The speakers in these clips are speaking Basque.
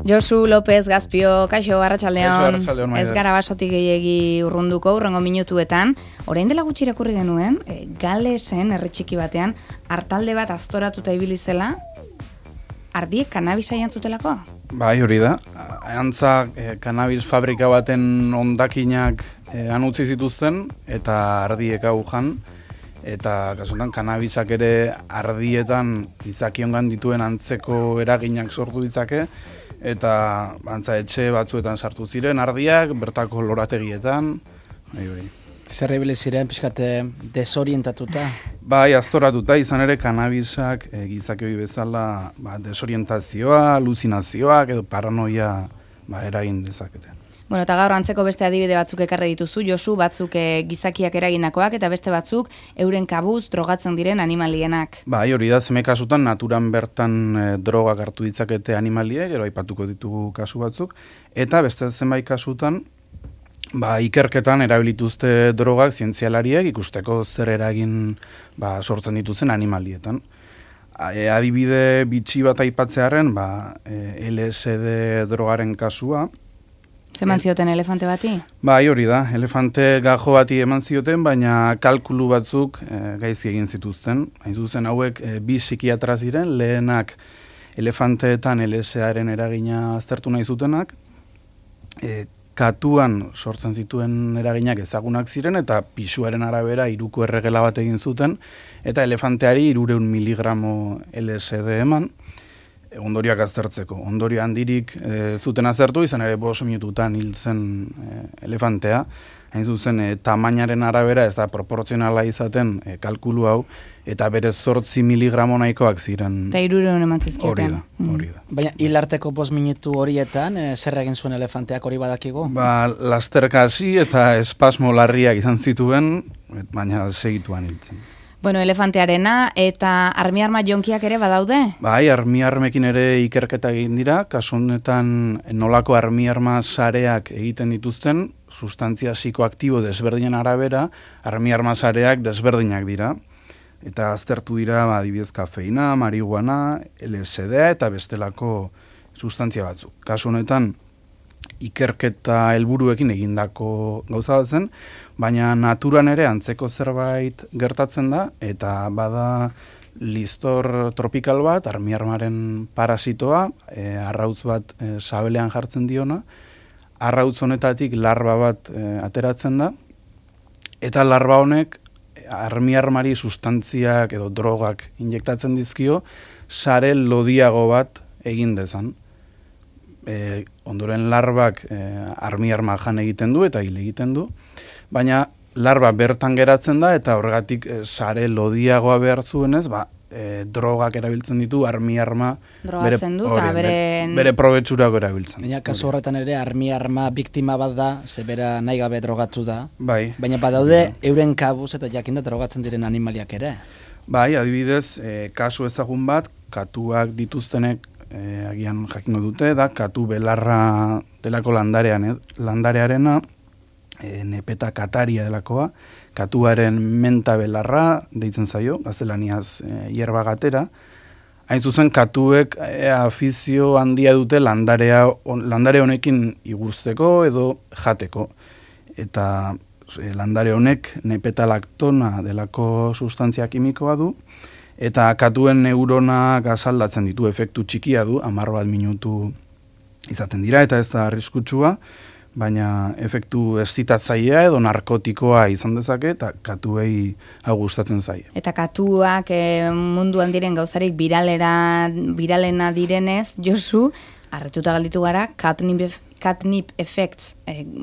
Josu López Gazpio, kaixo, arratsaldeon. Ez Maider. gara basotik gehiegi urrunduko, urrengo minutuetan. Orain dela gutxi irakurri genuen, Galesen, herri txiki batean, artalde bat aztoratuta ibili zela, ardiek kanabisa jantzutelako? Bai, hori da. Antza, kanabis fabrika baten hondakinak han utzi zituzten, eta ardiek hau jan, eta kasutan kanabisak ere ardietan izakiongan dituen antzeko eraginak sortu ditzake, eta antza etxe batzuetan sartu ziren ardiak, bertako lorategietan, bai. Zer ibili ziren, pixkate desorientatuta? Bai, aztoratuta, izan ere kanabisak gizakioi bezala desorientazioa, aluzinazioak edo paranoia eragin dezakete. Bueno, eta gaur antzeko beste adibide batzuk ekarri dituzu, Josu, batzuk gizakiak eraginakoak eta beste batzuk euren kabuz drogatzen diren animalienak. Bai, hori da, zeme kasutan naturan bertan drogak hartu ditzakete animaliek, gero aipatuko ditugu kasu batzuk, eta beste zenbait kasutan ikerketan erabilituzte drogak zientzialariek ikusteko zer eragin sortzen dituzten animalietan. Adibide bitxi bat aipatzearen, LSD drogaren kasua. Zeman zioten elefante bati? Bai, hori da, elefante gajo bati eman zioten, baina kalkulu batzuk gaizki egin zituzten. Hain zuzen hauek bi psikiatra ziren, lehenak elefanteetan LSD-aren eragina aztertu nahi zutenak, katuan sortzen zituen eraginak ezagunak ziren, eta pisuaren arabera 3ko erregela bat egin zuten, eta elefanteari 300 miligramo LSD eman, ondorioak aztertzeko. Ondorio handirik zuten aztertu, izan ere 5 minututan hil zen elefantea, hain zuzen tamainaren arabera ez da proportzionala izaten kalkulu hau, eta berez 8 miligramo nahikoak ziren. Eta 300 eman zizkioten. Hori da. Baina hilarteko 5 minutu horietan, zer egin zuen elefanteak hori badakigu? Lasterka hasi eta espasmo larriak izan zituen, baina segituan hiltzen. Bueno, elefantearena eta armi-arma jonkiak ere badaude? Bai, armi-armekin ere ikerketa egin dira, kasu honetan nolako armi-arma sareak egiten dituzten, sustantzia psikoaktibo desberdinen arabera, armi-arma sareak desberdinak dira. Eta aztertu dira, adibidez kafeina, marihuana, LSD eta bestelako sustantzia batzuk. Kasu honetan, ikerketa helburuekin egindako gauza bat zen, baina naturan ere antzeko zerbait gertatzen da, eta bada listor tropikal bat, armi-armaren parasitoa, arrautz bat sabelean jartzen diona, arrautz honetatik larba bat ateratzen da, eta larba honek armi-armari sustantziak edo drogak injektatzen dizkio, sare lodiago bat egin dezan. Ondoren larbak armi-arma jan egiten du eta hil egiten du, baina larba bertan geratzen da eta horregatik sare lodiagoa behar zuenez, drogak erabiltzen ditu armi-arma bere probetxurako erabiltzen. Baina kasu horretan ere armi-arma biktima bat da, zebera nahi gabe drogatu da. Bai. Baina badaude euren kabuz eta jakinda drogatzen diren animaliak ere. Bai, adibidez, kasu ezagun bat, katuak dituztenek agian jakingo dute, da katu belarra delako landarearena, nepeta kataria delakoa, katuaren menta belarra deitzen zaio, gaztelaniaz hierba gatera. Hain zuzen, katuek afizio handia dute landare honekin igurtzeko edo jateko. Eta landare honek nepetalaktona delako sustantzia kimikoa du, eta katuen neuronak asaldatzen ditu, efektu txikia du, 10 minutu izaten dira, eta ez da arriskutsua, baina efektu eszitatzailea edo narkotikoa izan dezake, eta katuei hau gustatzen zaie. Eta katuak munduan diren gauzarik biralena direnez, Josu, harrituta galditu gara, catnip effects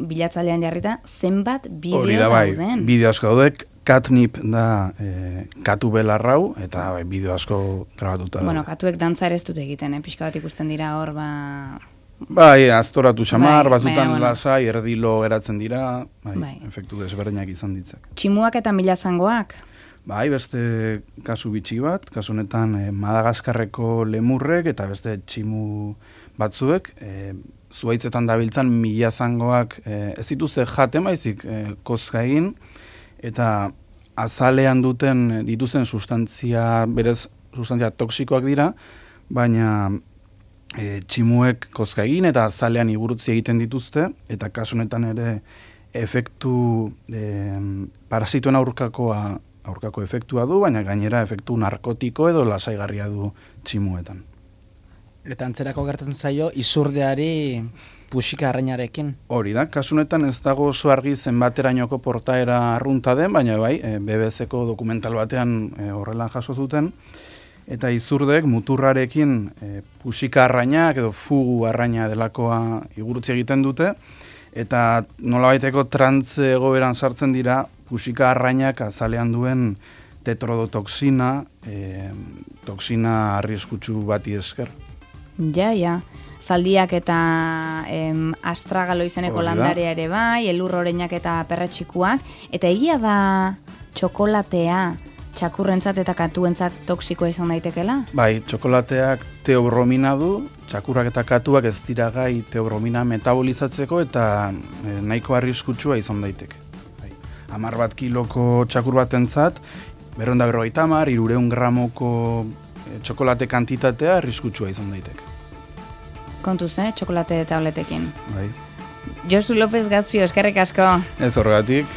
bilatzailean jarrita, zenbat bideo dauden? Bideo asko daudek, catnip da katu belarrau, eta bideo asko grabatuta da. Bueno, katuek dantza ere ez dute egiten, pixka bat ikusten dira hor, Bai, aztoratu xamar, batzutan lasai, erdilo geratzen dira, efektu desberdinak izan ditzak. Tximuak eta milazangoak? Bai, beste kasu bitxi bat, kasu honetan Madagaskarreko lemurrek eta beste tximu batzuek, zuhaitzetan dabiltzan milazangoak ez dituzte jaten baizik kozka egin, eta azalean dituzen sustantzia, berez sustantzia toksikoak dira, baina tximuek kozka egin eta azalean igurutzi egiten dituzte, eta kasu honetan ere efektu parasitoen aurkako efektua du, baina gainera efektu narkotiko edo lasaigarria du tximuetan. Eta antzerako gertatzen zaio izurdeari puxika arrainarekin. Hori da, kasu honetan ez dago oso argi zenbaterainoko portaera arrunta den, baina bai, BBC-ko dokumental batean horrela jaso zuten, eta izurdek muturrarekin puxika arrainak edo fugu arraina delakoa igurutzi egiten dute, eta nolabaiteko trantze egoeran sartzen dira puxika arrainak azalean duen tetrodotoxina, toxina arriskutsu bati esker. Ja. Zaldiak eta astragalo izeneko landarea ere bai, elur oreinak eta perretxikuak, eta egia da txokolatea txakurrentzat eta katuentzat toksikoa izan daitekela? Bai, txokolateak teobromina du, txakurrak eta katuak ez dira gai teobromina metabolizatzeko eta nahiko arriskutsua izan daiteke. 10 kiloko txakur batentzat, 250, 300 gramoko txokolate kantitatea arriskutsua izan daiteke. Kontuz, txokolate tabletekin. Bai. Josu López Gazpio, eskerrik asko. Ez horregatik.